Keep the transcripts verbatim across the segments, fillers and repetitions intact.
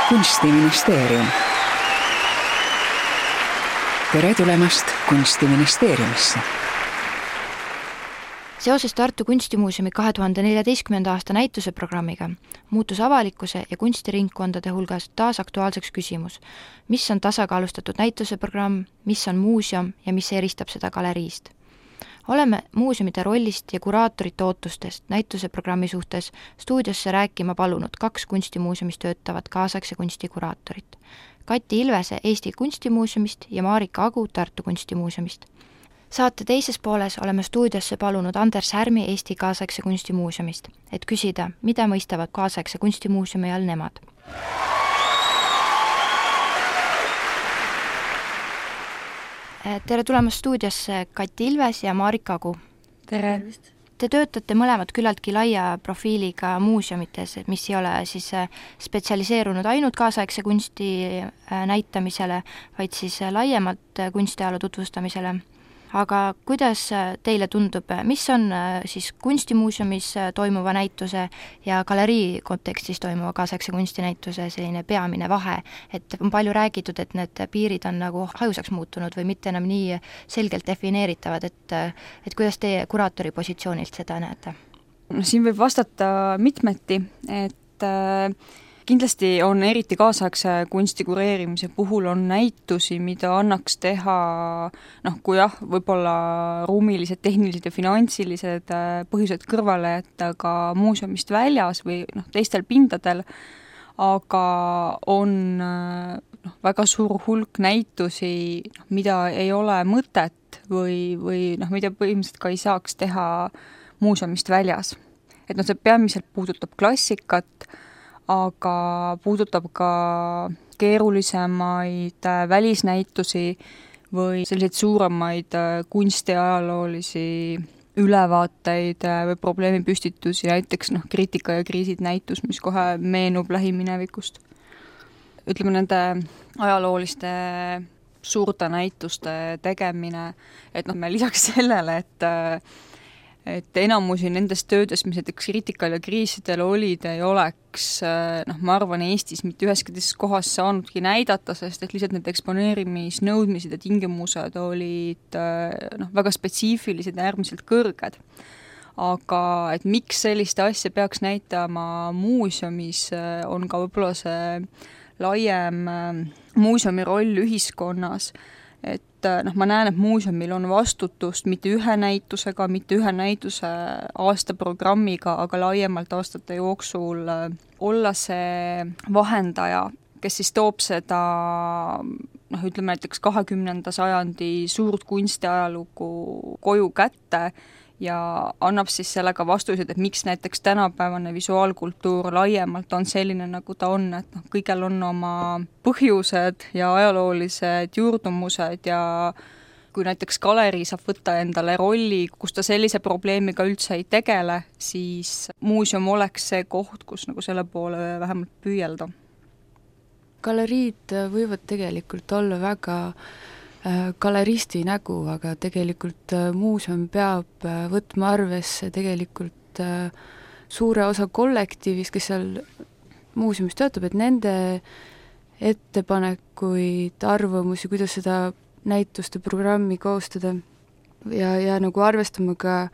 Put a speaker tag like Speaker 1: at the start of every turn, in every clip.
Speaker 1: kunstiministeerium. Tere tulemast Kunstiministeeriumisse.
Speaker 2: Seoses Tartu Kunstimuuseumi kahe tuhande neljateistkümnenda aasta näituseprogrammiga muutus avalikkuse ja kunstiringkondade hulgas taas aktuaalseks küsimus, mis on tasakaalustatud näituseprogramm, mis on muuseum ja mis eristab seda galeriist. Oleme muuseumide rollist ja kuraatorite ootustest näituseprogrammi suhtes stuudiosse rääkima palunud kaks kunstimuuseumis töötavat kaasaegse kunstikuraatorit. Kati Ilvese Eesti Kunstimuuseumist ja Marika Agu Tartu Kunstimuuseumist. Saate teises pooles oleme stuudiosse palunud Anders Härmi Eesti Kaasaegse Kunstimuuseumist, et küsida, mida mõistavad Kaasaegse Kunstimuuseumi all nemad. Tere tulemast stuudiosse Kati Ilves ja Marika Agu.
Speaker 3: Tere!
Speaker 2: Te töötate mõlemad küllaltki laia profiiliga muuseumites, mis ei ole siis spetsialiseerunud ainult kaasaegse kunsti näitamisele, vaid siis laiemalt kunstiajaloo tutvustamisele. Aga kuidas teile tundub, mis on siis kunstimuuseumis toimuva näituse ja galerii kontekstis toimuva kaasaegse kunstinäituse selline peamine vahe, et on palju räägitud, et need piirid on nagu hajusaks muutunud või mitte enam nii selgelt defineeritavad, et, et kuidas teie kuraatori positsioonilt seda näete?
Speaker 3: No, siin võib vastata mitmeti, et kindlasti on eriti kaasaegse kunsti kureerimise puhul on näitusi, mida annaks teha, noh, kui jah, võib-olla ruumilised, tehnilised ja finantsilised põhjused kõrvale jätta ka muuseumist väljas või noh, teistel pindadel, aga on noh, väga suur hulk näitusi, mida ei ole mõtet või, või noh, mida põhimõtteliselt ka ei saaks teha muuseumist väljas. Et noh, see peamiselt puudutab klassikat, aga puudutab ka keerulisemaid välisnäitusi või selliseid suuremaid kunstiajaloolisi ülevaateid või probleemipüstitusi, näiteks noh, kriitika ja kriisid näitus, mis kohe meenub lähiminevikust. Ütleme, nende ajalooliste suurte näituste tegemine, et noh, me lisaks sellele, et et enamusi nendest töödes, mis näiteks kriitikal ja kriisidel olid, ei oleks, noh, ma arvan, Eestis mitte üheski teises kohas saanudki näidata, sest et lihtsalt need eksponeerimisnõudmised ja tingimused olid noh, väga spetsiifilised ja äärmiselt kõrged. Aga et miks sellist asja peaks näitama muuseumis, on ka võib-olla see laiem muuseumi roll ühiskonnas, et noh, ma näen, et muuseumil on vastutust mitte ühe näitusega, mitte ühe näituse aastaprogrammiga, aga laiemalt aastate jooksul olla see vahendaja, kes siis toob seda, noh, ütleme näiteks kahekümnenda sajandi suurt kunstiajalugu koju kätte ja annab siis sellega vastused, et miks näiteks tänapäevane visuaalkultuur laiemalt on selline, nagu ta on, et noh, kõigel on oma põhjused ja ajaloolised juurdumused ja kui näiteks galerii saab võtta endale rolli, kus ta sellise probleemiga üldse ei tegele, siis muuseum oleks see koht, kus nagu selle poole vähemalt püüelda.
Speaker 4: Galeriid võivad tegelikult olla väga galeristi nägu, aga tegelikult muuseum peab võtma arvesse tegelikult suure osa kollektiivis, kes seal muuseumis töötab, et nende ettepanekuid, arvamusi, kuidas seda näituste programmi koostada ja, ja nagu arvestama ka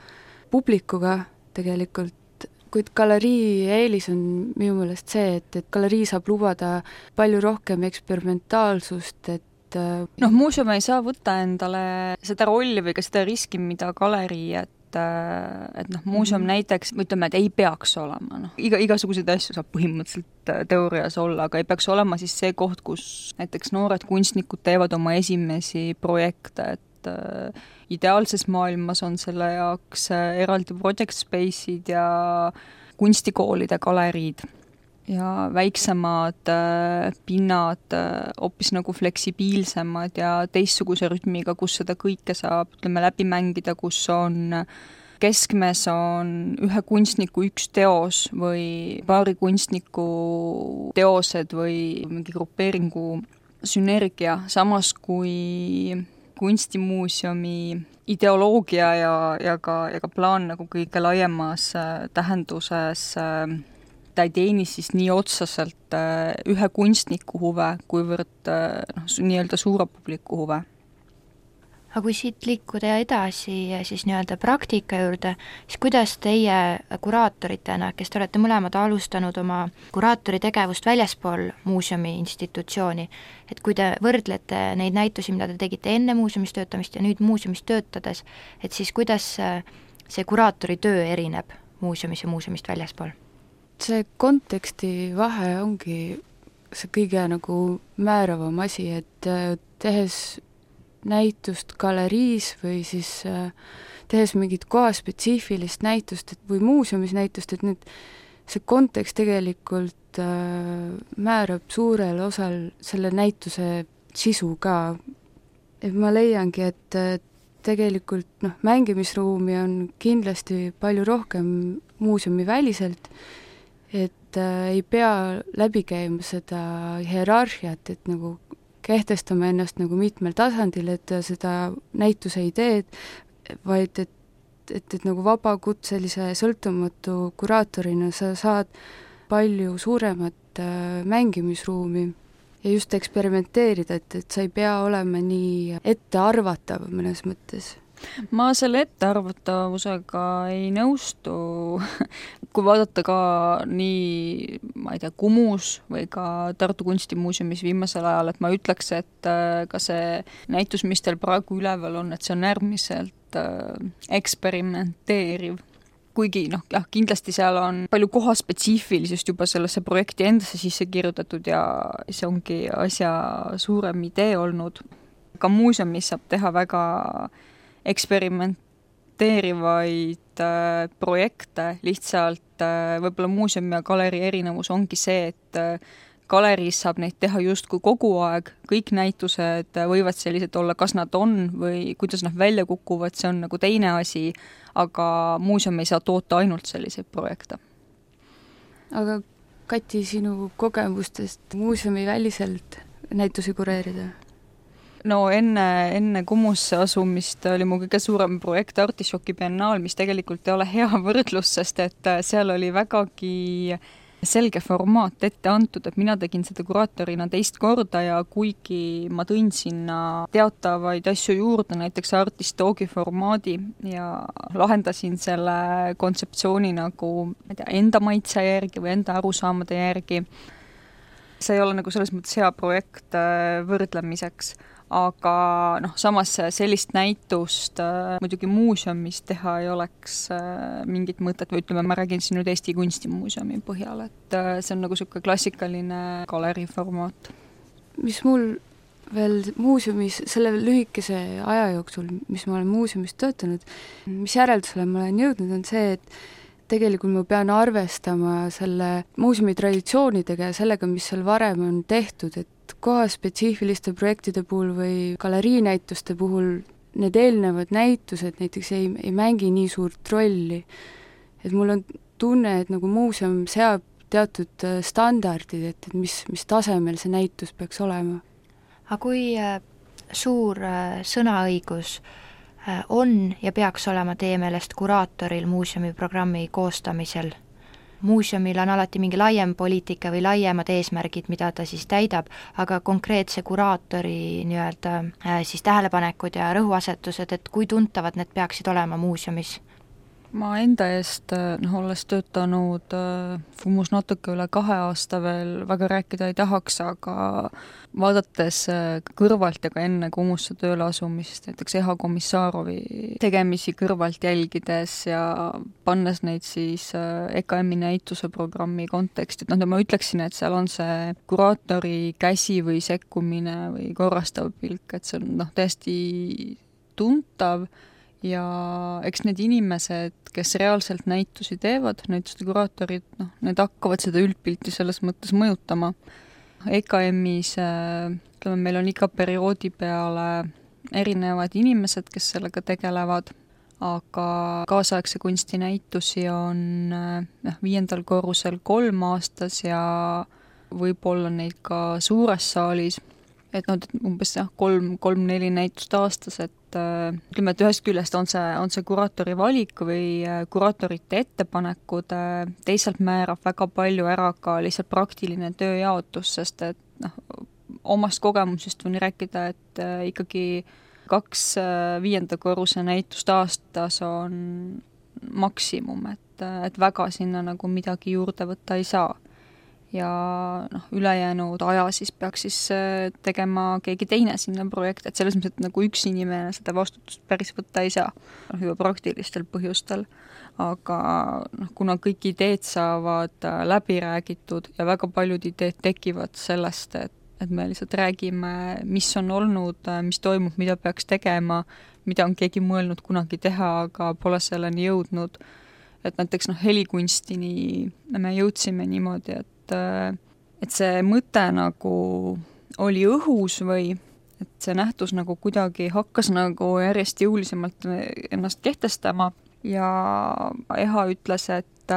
Speaker 4: publikuga tegelikult, kuid galerii eelis on minu meelest see, et, et galerii saab lubada palju rohkem eksperimentaalsust, et
Speaker 3: noh, muuseum ei saa võtta endale seda rolli või ka seda riski, mida galerii, et, et noh, muuseum mm-hmm. näiteks, ütleme, et ei peaks olema, noh, iga, igasuguseid asju saab põhimõtteliselt teoorias olla, aga ei peaks olema siis see koht, kus näiteks noored kunstnikud teevad oma esimesi projekte, et äh, ideaalses maailmas on selle jaoks eraldi project space'id ja kunstikoolide galeriid ja väiksemad äh, pinnad äh, hoopis nagu fleksibiilsemad ja teistsuguse rütmiga, kus seda kõike saab, ütleme, läbi mängida, kus on keskmes on ühe kunstniku üks teos või paari kunstniku teosed või mingi grupeeringu sünergia, samas kui kunstimuuseumi ideoloogia ja, ja, ka, ja ka plaan nagu kõige laiemas äh, tähenduses äh, ta ei teeni siis nii otseselt ühe kunstniku huve, kuivõrd noh, nii-öelda suure publiku huve.
Speaker 2: Aga kui siit liikuda edasi siis nii-öelda praktika juurde, siis kuidas teie kuraatoritena, kes te olete mõlemad alustanud oma kuraatori tegevust väljaspool muuseumi institutsiooni, et kui te võrdlete neid näitusi, mida te tegite enne muuseumis töötamist ja nüüd muuseumis töötades, et siis kuidas see kuraatori töö erineb muuseumis ja muuseumist väljaspool?
Speaker 4: See konteksti vahe ongi see kõige nagu määravam asi, et tehes näitust galeriis või siis äh, tehes mingit kohaspetsiifilist näitust et, või muuseumis näitust, et need, see kontekst tegelikult äh, määrab suurel osal selle näituse sisu ka. Et ma leiangi, et äh, tegelikult noh, mängimisruumi on kindlasti palju rohkem muuseumi väliselt, et äh, ei pea läbi käima seda hierarhiat, et nagu kehtestame ennast nagu mitmel tasandil, et seda näituse ideed, vaid et, et, et nagu vabakutselise sõltumatu kuraatorina sa saad palju suuremat äh, mängimisruumi ja just eksperimenteerida, et, et sa ei pea olema nii ettearvatav mõnes mõttes.
Speaker 3: Ma selle ettearvatavusega ei nõustu, kui vaadata ka nii, ma ei tea, Kumus või ka Tartu Kunstimuuseumis viimasel ajal, et ma ütleks, et ka see näitus, mis teil praegu üleval on, et see on äärmiselt eksperimenteeriv. Kuigi noh, jah, kindlasti seal on palju kohaspetsiifilisust juba sellesse projekti endasse sisse kirjutatud ja see ongi asja suurem idee olnud. Ka muuseumis saab teha väga eksperimenteerivaid äh, projekte, lihtsalt äh, võib-olla muuseumi ja galerii erinevus ongi see, et äh, galeriis saab neid teha justkui kogu aeg, kõik näitused võivad sellised olla, kas nad on või kuidas nad välja kukuvad, see on nagu teine asi, aga muuseum ei saa toota ainult selliseid projekte.
Speaker 4: Aga Kati, sinu kogemustest muuseumi väliselt näitusi kureerida?
Speaker 3: No enne, enne Kumusse asumist oli mu kõige suurem projekt Artišoki biennaal, mis tegelikult ei ole hea võrdlus, sest et seal oli vägagi selge formaat ette antud, et mina tegin seda kuraatorina teist korda ja kuigi ma tõin sinna teatavaid asju juurde, näiteks Artistogi formaadi ja lahendasin selle kontseptsiooni nagu ma ei tea, enda maitse järgi või enda arusaamade järgi. See ei ole nagu selles mõttes hea projekt võrdlemiseks. Aga noh, samas sellist näitust äh, muidugi muuseumis teha ei oleks äh, mingit mõtet või ütleme, ma räägin siin nüüd Eesti Kunstimuuseumi põhjal, et äh, see on nagu selline klassikaline galerii formaat.
Speaker 4: Mis mul veel muuseumis selle lühikese aja jooksul, mis ma olen muuseumis töötanud, mis järeldusele ma olen jõudnud, on see, et tegelikult ma pean arvestama selle muuseumi traditsioonidega ja sellega, mis seal varem on tehtud, et kohaspetsiifiliste projektide puhul või galeriinäituste puhul need eelnevad näitused näiteks ei, ei mängi nii suurt rolli. Et mul on tunne, et nagu muuseum seab teatud standardid, et, et mis, mis tasemel see näitus peaks olema.
Speaker 2: Aga kui suur sõnaõigus on ja peaks olema teie meelest kuraatoril muuseumi programmi koostamisel? Muuseumil on alati mingi laiem poliitika või laiemad eesmärgid, mida ta siis täidab, aga konkreetse kuraatori nii-öelda siis tähelepanekud ja rõhuasetused, et kui tuntavad need peaksid olema muuseumis?
Speaker 3: Ma enda eest, noh, olles töötanud Kumus natuke üle kahe aasta veel, väga rääkida ei tahaks, aga vaadates kõrvalt ja ka enne Kumusse tööle asumist, näiteks Eha Komissarovi tegemisi kõrvalt jälgides ja pannes neid siis E K M-i näituse programmi konteksti, et noh, ma ütleksin, et seal on see kuraatori käsi või sekkumine või korrastav pilk, et see on noh, täiesti tuntav. Ja eks need inimesed, kes reaalselt näitusi teevad, näituste kuraatorid, noh, need hakkavad seda üldpilti selles mõttes mõjutama. E K M-is, ütleme, meil on iga perioodi peale erinevad inimesed, kes sellega tegelevad, aga kaasaegse kunstinäitusi on noh, viiendal korrusel kolm aastas ja võib-olla neid ka suures saalis, et noh, umbes jah, kolm, kolm, neli näitust aastas, et ütleme, et ühest küljest on see, on see kuraatori valik või kuraatorite ettepanekud, teisalt määrab väga palju ära ka lihtsalt praktiline tööjaotus, sest et noh, omast kogemusest võin rääkida, et ikkagi kaks viienda korruse näitust aastas on maksimum, et, et väga sinna nagu midagi juurde võtta ei saa. Ja noh, ülejäänud aja siis peaks siis tegema keegi teine sinna projekti, et selles mõttes, et nagu üks inimene seda vastutust päris võtta ei saa, noh, juba praktilistel põhjustel. Aga noh, kuna kõik ideed saavad läbi räägitud ja väga paljud ideed tekivad sellest, et, et me lihtsalt räägime, mis on olnud, mis toimub, mida peaks tegema, mida on keegi mõelnud kunagi teha, aga pole selleni jõudnud. Et näiteks noh, helikunstini me jõudsime niimoodi, et et see mõte nagu oli õhus või et see nähtus nagu kuidagi hakkas nagu järjest jõulisemalt ennast kehtestama ja Eha ütles, et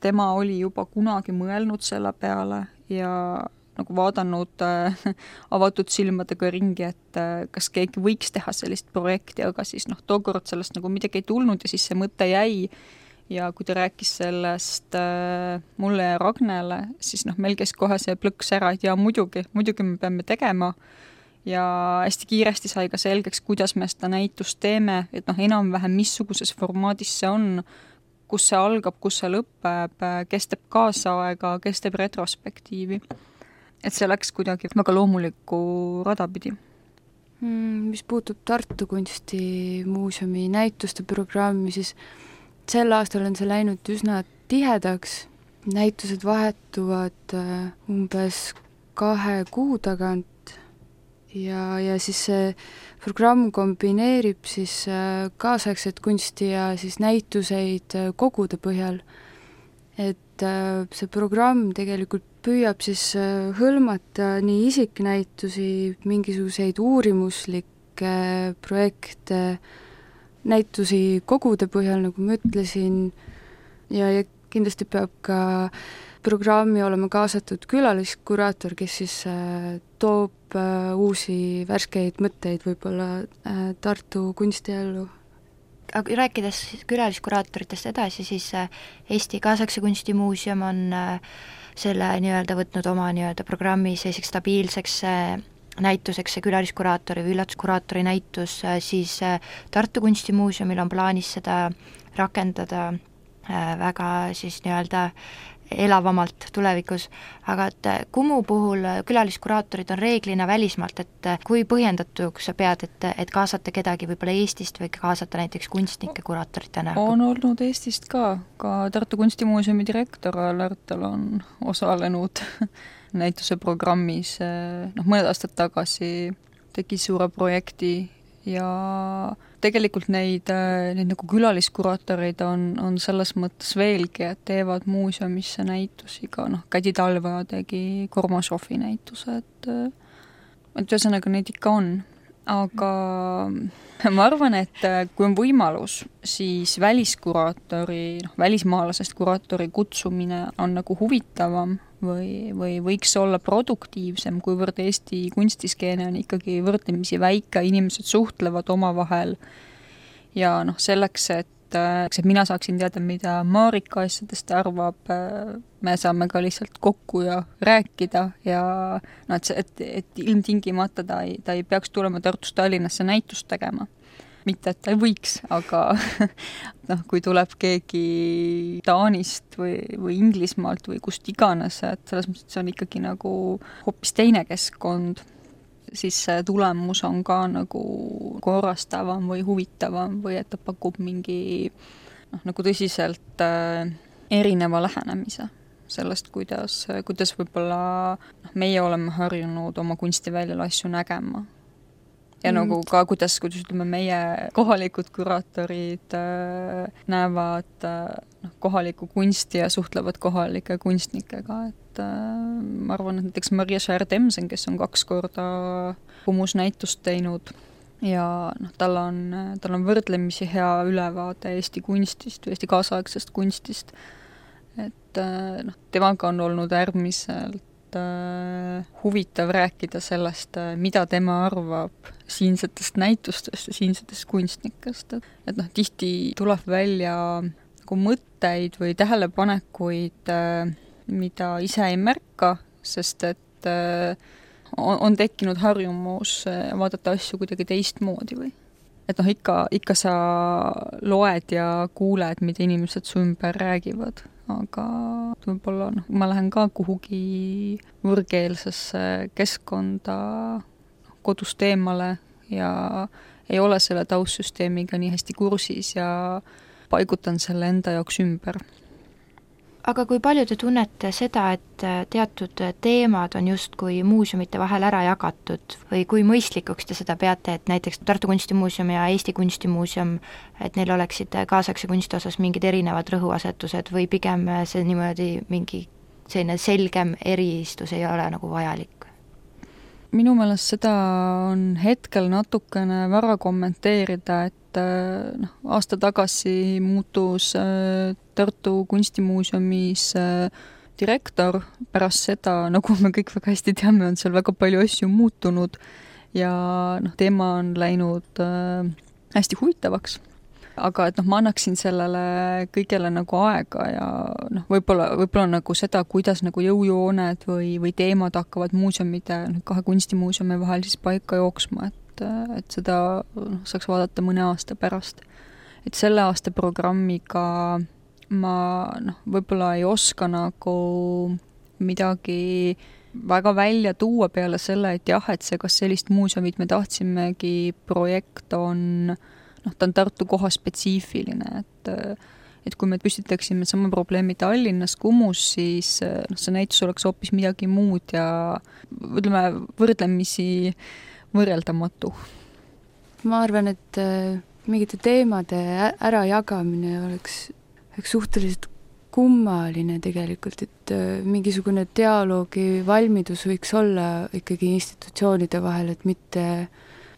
Speaker 3: tema oli juba kunagi mõelnud selle peale ja nagu vaadanud avatud silmadega ringi, et kas keegi võiks teha sellist projekti, aga siis noh, tookord sellest nagu midagi ei tulnud ja siis see mõte jäi. Ja kui ta rääkis sellest äh, mulle ja Ragnele, siis noh, meil käis kohe see plõks ära, et jaa, muidugi, muidugi me peame tegema ja hästi kiiresti sai ka selgeks, kuidas me seda näitust teeme, et noh, enam-vähem missuguses formaadis see on, kus see algab, kus see lõpeb, kes teeb kaasaega, kes teeb retrospektiivi. Et see läks kuidagi väga loomulikku rada pidi.
Speaker 4: Mis puutub Tartu Kunstimuuseumi näituste programmi, siis sel aastal on see läinud üsna tihedaks, näitused vahetuvad umbes kahe kuu tagant ja, ja siis see programm kombineerib siis kaasaegset kunsti ja siis näituseid kogude põhjal. Et see programm tegelikult püüab siis hõlmata nii isiknäitusi, mingisuguseid uurimuslikke projekte, näitusi kogude põhjal, nagu ma ütlesin, ja, ja kindlasti peab ka programmi olema kaasatud külaliskuraator, kes siis äh, toob äh, uusi värskeid mõtteid võib-olla äh, Tartu kunstiellu.
Speaker 2: Aga rääkides külaliskuraatoritest edasi, siis Eesti Kaasaegse Kunstimuuseum on selle nii-öelda võtnud oma nii-öelda programmi selliseks stabiilseks näituseks see külaliskuraatori või üllatuskuraatori näitus, siis Tartu Kunstimuuseumil on plaanis seda rakendada väga siis nii-öelda elavamalt tulevikus, aga et Kumu puhul külaliskuraatorid on reeglina välismaalt, et kui põhjendatuks sa pead, et, et kaasata kedagi võib-olla Eestist või kaasata näiteks kunstnike kuraatoritena?
Speaker 3: On olnud Eestist ka, ka Tartu Kunstimuuseumi direktor Lärtel on osalenud näituse programmis, noh, mõned aastad tagasi tegi suure projekti ja tegelikult neid, neid nagu külaliskuraatoreid on, on selles mõttes veelgi, et teevad muuseumisse näitusi ka, noh, Kädi Talva tegi Kormašovi näituse, et et ühesõnaga neid ikka on. Aga ma arvan, et kui on võimalus, siis väliskuraatori, noh, välismaalasest kuraatori kutsumine on nagu huvitavam või, või võiks olla produktiivsem, kuivõrd Eesti kunstiskeene on ikkagi võrdlemisi väike, inimesed suhtlevad omavahel ja noh, selleks, et et mina saaksin teada, mida Marika asjadest arvab, me saame ka lihtsalt kokku ja rääkida ja no, et, et, et ilmtingimata ta ei, ta ei peaks tulema Tartust Tallinnasse näitust tegema. Mitte, et ta ei võiks, aga noh, kui tuleb keegi Taanist või, või Inglismaalt või kust iganes, et selles mõttes see on ikkagi nagu hoopis teine keskkond, siis see tulemus on ka nagu korrastavam või huvitavam või et ta pakub mingi noh, nagu tõsiselt äh, erineva lähenemise sellest, kuidas, kuidas võib-olla noh, meie oleme harjunud oma kunstiväljal asju nägema. Ja mm. nagu ka, kuidas, kuidas ütleme, meie kohalikud kuraatorid äh, näevad äh, noh, kohalikku kunsti ja suhtlevad kohalike kunstnikega, et äh, ma arvan, et näiteks Maria Schär-Temsen, kes on kaks korda Kumus näitust teinud ja noh, tal on, tal on võrdlemisi hea ülevaade Eesti kunstist või Eesti kaasaegsest kunstist, et äh, noh, temaga on olnud äärmiselt äärmiselt äh, huvitav rääkida sellest, mida tema arvab siinsetest näitustest ja siinsetest kunstnikest. Et noh, tihti tuleb välja nagu mõtteid või tähelepanekuid, äh, mida ise ei märka, sest et äh, on, on tekkinud harjumus vaadata asju kuidagi teistmoodi või. Et noh, ikka, ikka sa loed ja kuuled, mida inimesed su ümber räägivad, aga võib-olla noh, ma lähen ka kuhugi võõrkeelsesse keskkonda kodust eemale ja ei ole selle taustsüsteemiga nii hästi kursis ja paigutan selle enda jaoks ümber.
Speaker 2: Aga kui palju te tunnete seda, et teatud teemad on justkui muuseumite vahel ära jagatud või kui mõistlikuks te seda peate, et näiteks Tartu Kunstimuuseum ja Eesti Kunstimuuseum, et neil oleksid kaasaegse kunsti osas mingid erinevad rõhuasetused või pigem see niimoodi mingi selline selgem eristus ei ole nagu vajalik?
Speaker 3: Minu meelest seda on hetkel natukene vara kommenteerida, et noh, aasta tagasi muutus Tartu Kunstimuuseumis direktor, pärast seda, nagu me kõik väga hästi teame, on seal väga palju asju muutunud ja noh, teema on läinud hästi huvitavaks. Aga et noh, ma annaksin sellele kõigele nagu aega ja noh, võib-olla, võib-olla nagu seda, kuidas nagu jõujooned või, või teemad hakkavad muuseumide, kahe kunstimuuseumi vahel siis paika jooksma, et, et seda noh, saaks vaadata mõne aasta pärast. Et selle aasta programmiga ma noh, võib-olla ei oska nagu midagi väga välja tuua peale selle, et jah, et see, kas sellist muuseumit me tahtsimegi, projekt on noh, ta on Tartu koha spetsiifiline, et, et kui me püstitaksime sama probleemi Tallinnas, Kumus, siis noh, see näitus oleks hoopis midagi muud ja ütleme, võrdlemisi võrreldamatu.
Speaker 4: Ma arvan, et mingite teemade ärajagamine oleks, oleks suhteliselt kummaline tegelikult, et mingisugune dialoogi valmidus võiks olla ikkagi institutsioonide vahel, et mitte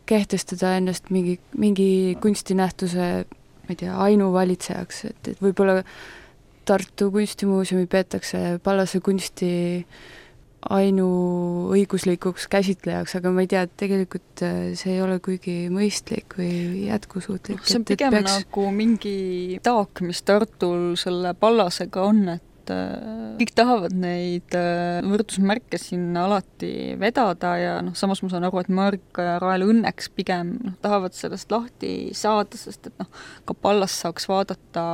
Speaker 4: kehtestada ennast mingi, mingi kunstinähtuse, ma ei tea, ainuvalitsejaks, et, et võib-olla Tartu Kunstimuuseumi peetakse Pallase kunsti ainuõiguslikuks käsitlejaks, aga ma ei tea, et tegelikult see ei ole kuigi mõistlik või jätkusuutlik.
Speaker 3: See on pigem peaks... nagu mingi taak, mis Tartul selle Pallasega on, et kõik tahavad neid võrdusmärke sinna alati vedada ja noh, samas ma saan aru, et Marika ja Rael õnneks pigem noh, tahavad sellest lahti saada, sest et noh, ka Pallas saaks vaadata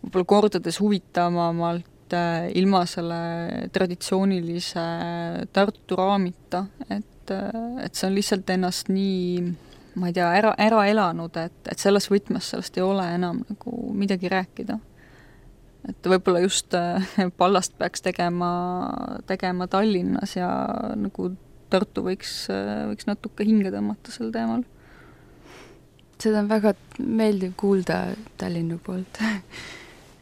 Speaker 3: võib-olla kordades huvitavamalt ilma selle traditsioonilise Tartu raamita, et, et see on lihtsalt ennast nii, ma ei tea, ära, ära elanud, et, et selles võtmes sellest ei ole enam nagu midagi rääkida. Et võib-olla just Pallast peaks tegema, tegema Tallinnas ja nagu Tartu võiks, võiks natuke hinge tõmmata sel teemal.
Speaker 4: Seda on väga meeldiv kuulda Tallinna poolt.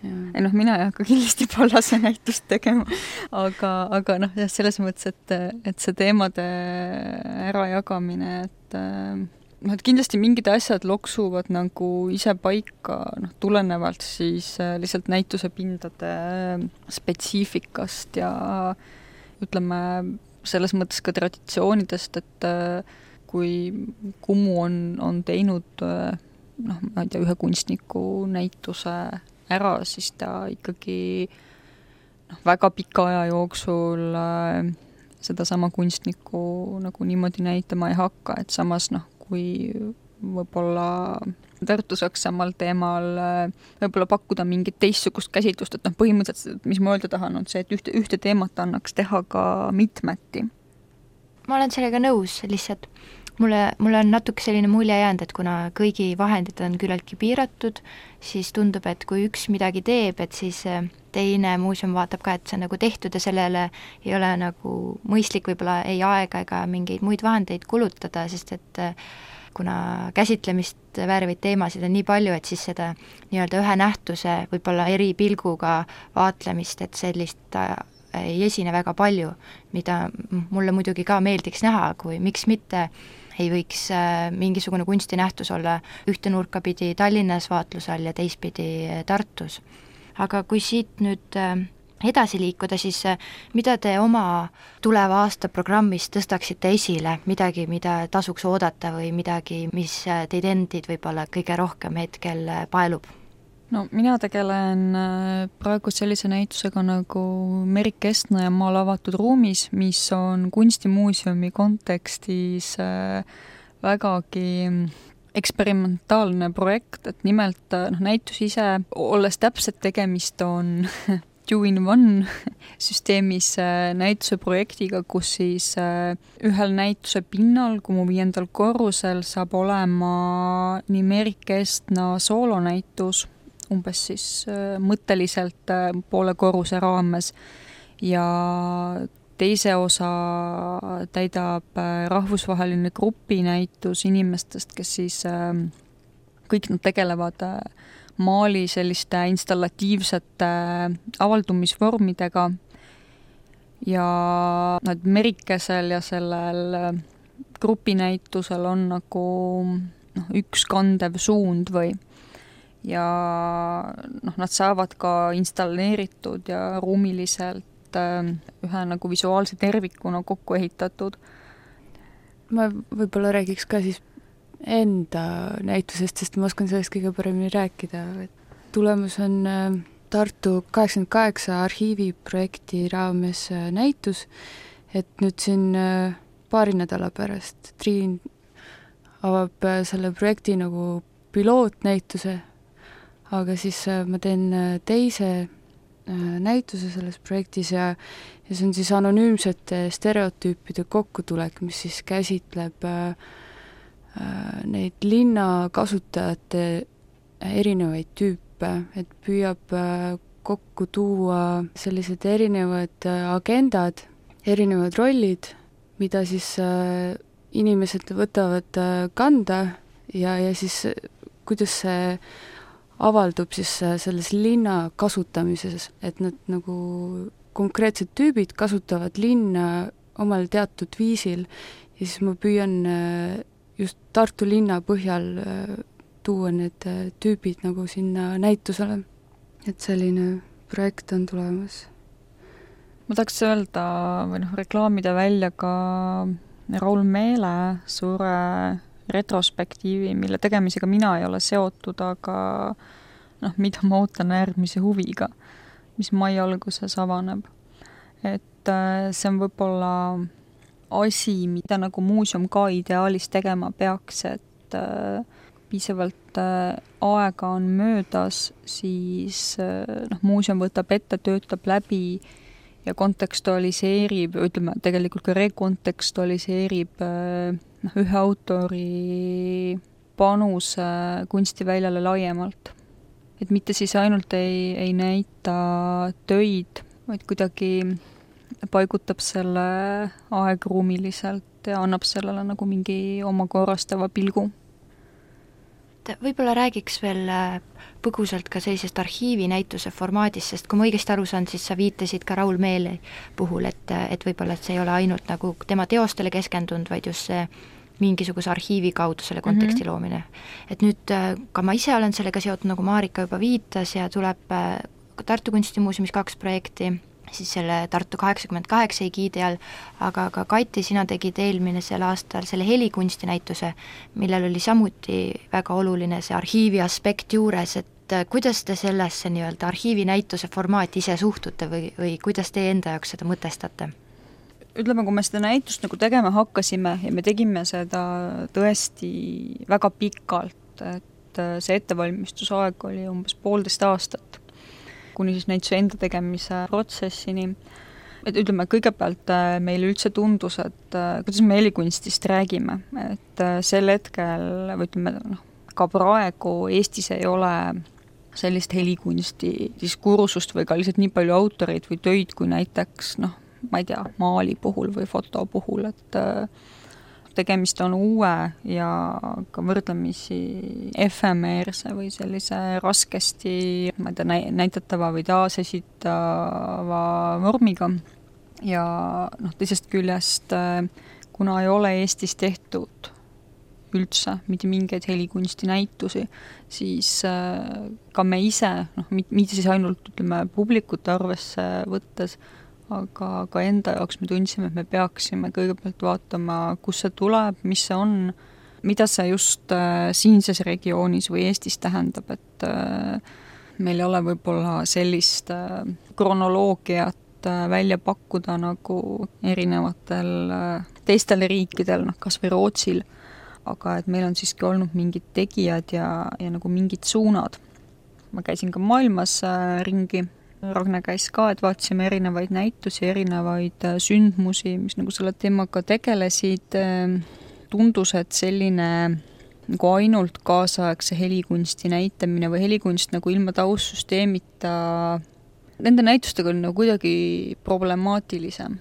Speaker 3: ei noh, mina ei hakka kindlasti Pallase näitust tegema, aga, aga noh, jah, selles mõttes, et, et see teemade ärajagamine, et noh, et kindlasti mingid asjad loksuvad nagu ise paika, noh, tulenevalt siis lihtsalt näituse pindade spetsiifikast ja ütleme, selles mõttes ka traditsioonidest, et kui Kumu on, on teinud noh, ma ei tea, ühe kunstniku näituse ära, siis ta ikkagi noh, väga pika aja jooksul äh, sedasama kunstnikku nagu niimoodi näitama ei hakka, et samas noh, kui võib-olla Tartu saaks samal teemal äh, võib-olla pakkuda mingit teistsugust käsitlust, et noh, põhimõtteliselt, mis ma öelda tahan, on see, et ühte, ühte teemat annaks teha ka mitmeti.
Speaker 2: Ma olen sellega nõus, lihtsalt Mulle, mulle on natuke selline mulje jäänud, et kuna kõigi vahendid on küllaltki piiratud, siis tundub, et kui üks midagi teeb, et siis teine muuseum vaatab ka, et see on nagu tehtud ja sellele ei ole nagu mõistlik võib-olla ei aega ega mingeid muid vahendeid kulutada, sest et kuna käsitlemist väärivaid teemasid on nii palju, et siis seda nii-öelda ühe nähtuse võib-olla eri pilguga vaatlemist, et sellist ei esine väga palju, mida mulle muidugi ka meeldiks näha, kui miks mitte ei võiks mingisugune kunstinähtus olla ühte nurka pidi Tallinnas vaatluse all ja teistpidi Tartus. Aga kui siit nüüd edasi liikuda, siis mida te oma tuleva aasta programmis tõstaksite esile, midagi, mida tasuks oodata või midagi, mis teid endid võib-olla kõige rohkem hetkel paelub?
Speaker 3: No mina tegelen praegu sellise näitusega nagu Merik Kestna ja Maal avatud ruumis, mis on kunstimuuseumi kontekstis vägagi eksperimentaalne projekt, et nimelt noh, näitus ise, olles täpselt tegemist on two-in-one süsteemis näituse projektiga, kus siis ühel näituse pinnal, Kumu viiendal korrusel, saab olema nii Merik Kestna soolonäitus, umbes siis mõtteliselt poole korruse raames, ja teise osa täidab rahvusvaheline grupinäitus inimestest, kes siis kõik nad tegelevad Mali selliste installatiivsete avaldumisvormidega ja nad Merikesel ja sellel grupinäitusel on nagu noh, üks kandev suund või ja noh, nad saavad ka installeeritud ja ruumiliselt ühe nagu visuaalse tervikuna kokku ehitatud.
Speaker 4: Ma võib-olla räägiks ka siis enda näitusest, sest ma oskan sellest kõige paremini rääkida. Tulemus on Tartu kaheksakümmend kaheksa arhiiviprojekti raames näitus, et nüüd siin paari nädala pärast Triin avab selle projekti nagu pilootnäituse, aga siis ma teen teise näituse selles projektis ja, ja see on siis anonüümsete stereotüüpide kokkutulek, mis siis käsitleb neid linnakasutajate erinevaid tüüpe, et püüab kokku tuua sellised erinevad agendad, erinevad rollid, mida siis inimesed võtavad kanda ja, ja siis kuidas see avaldub siis selles linna kasutamises, et nad nagu konkreetsed tüübid kasutavad linna omal teatud viisil ja siis ma püüan just Tartu linna põhjal tuua need tüübid nagu sinna näitusele. Et selline projekt on tulemas.
Speaker 3: Ma tahaks öelda või noh, reklaamida välja ka Raul Meele suure retrospektiivi, mille tegemisega mina ei ole seotud, aga noh, mida ma ootan äärmise huviga, mis mai alguses avaneb. Et see on võib-olla asi, mida nagu muuseum ka ideaalis tegema peaks, et piisavalt aega on möödas, siis noh, muuseum võtab ette, töötab läbi ja kontekstualiseerib, ütleme tegelikult ka rekontekstualiseerib noh, ühe autori panuse kunstiväljale laiemalt. Et mitte siis ainult ei, ei näita töid, vaid kuidagi paigutab selle aegruumiliselt ja annab sellele nagu mingi oma korrastava pilgu.
Speaker 2: Võib-olla räägiks veel põgusalt ka sellisest arhiivinäituse formaadist, sest kui ma õigesti aru saan, siis sa viitasid ka Raul Meele puhul, et, et võib-olla et see ei ole ainult nagu tema teostele keskendunud, vaid just see mingisuguse arhiivi kaudu selle konteksti mm-hmm. loomine. Et nüüd ka ma ise olen sellega seotud, nagu Marika juba viitas, ja tuleb Tartu Kunstimuuseumis kaks projekti, siis selle Tartu kaheksakümmend kaheksa egiidi all, aga ka Kati, sina tegid eelmine sel aastal selle helikunstinäituse, millel oli samuti väga oluline see arhiivi aspekt juures, et kuidas te sellesse nii-öelda arhiivinäituse formaati ise suhtute või, või kuidas te enda jaoks seda mõtestate?
Speaker 3: Ütleme, kui me seda näitust nagu tegema hakkasime ja me tegime seda tõesti väga pikalt, et see ettevalmistusaeg oli umbes poolteist aastat, kuni siis näituse enda tegemise protsessini. Et ütleme, kõigepealt meile üldse tundus, et kuidas me helikunstist räägime, et sel hetkel, või ütleme, noh, ka praegu Eestis ei ole sellist helikunsti diskursust või ka lihtsalt nii palju autoreid või töid, kui näiteks, noh, ma ei tea, maali puhul või foto puhul, et tegemist on uue ja ka võrdlemisi efemeerse või sellise raskesti ma ei tea, näitatava või taasesitava vormiga. Ja noh, teisest küljest, kuna ei ole Eestis tehtud üldse mitte mingeid helikunstinäitusi, siis ka me ise, noh, mitte siis ainult ütleme publikute arvesse võttes, aga ka enda jaoks me tundsime, et me peaksime kõigepealt vaatama, kus see tuleb, mis see on, mida see just siinses regioonis või Eestis tähendab, et meil ei ole võib-olla sellist kronoloogiat välja pakkuda nagu erinevatel teistel riikidel, noh kas või Rootsil, aga et meil on siiski olnud mingid tegijad ja, ja nagu mingid suunad. Ma käisin ka maailmas ringi, Ragne käis ka, et vaatasime erinevaid näitusi, erinevaid sündmusi, mis nagu selle teemaga tegelesid. Tundus, et selline nagu ainult kaasaegse helikunsti näitamine või helikunst nagu ilma taustsüsteemita, nende näitustega oli nagu kuidagi problemaatilisem.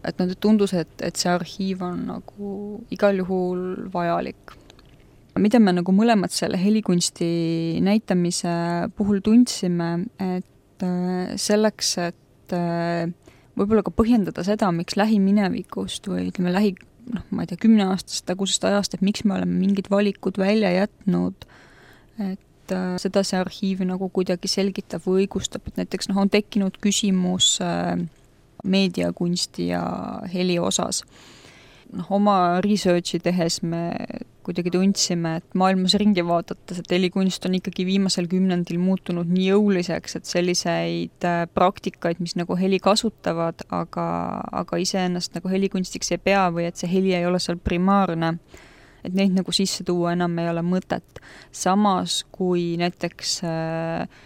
Speaker 3: Et nad tundus, et, et see arhiiv on nagu igal juhul vajalik. Mida me nagu mõlemad selle helikunsti näitamise puhul tundsime, et selleks, et võib-olla ka põhjendada seda, miks lähiminevikust või ütleme lähi, noh, ma ei tea, kümneaastast tagusest ajast, et miks me oleme mingid valikud välja jätnud, et seda see arhiiv nagu kuidagi selgitab või õigustab, et näiteks noh, on tekkinud küsimus meediakunsti ja heli osas. Noh, oma researchi tehes me kuidagi tundsime, et maailmas ringi vaadates, et helikunst on ikkagi viimasel kümnendil muutunud nii jõuliseks, et selliseid praktikaid, mis nagu heli kasutavad, aga, aga iseennast nagu helikunstiks ei pea või et see heli ei ole seal primaarne, et neid nagu sisse tuua enam ei ole mõtet. Samas, kui näiteks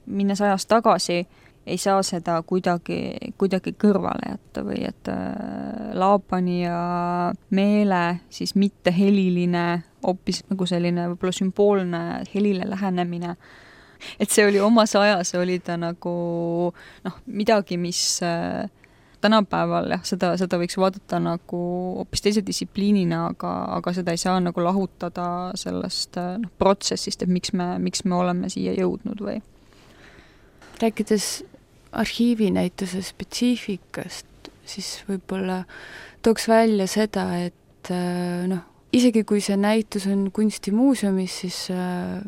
Speaker 3: minnes ajas tagasi, ei saa seda kuidagi, kuidagi kõrvale jätta või et Laapani ja Meele siis mitte heliline, hoopis nagu selline võib-olla sümboolne helile lähenemine. Et see oli omas ajas, oli ta nagu noh, midagi, mis tänapäeval jah, seda, seda võiks vaadata nagu hoopis teise distsipliinina, aga, aga seda ei saa nagu lahutada sellest noh, protsessist, et miks me, miks me oleme siia jõudnud või.
Speaker 4: Rääkides arhiivinäituse spetsiifikast, siis võib-olla tooks välja seda, et noh, isegi kui see näitus on kunstimuuseumis, siis äh,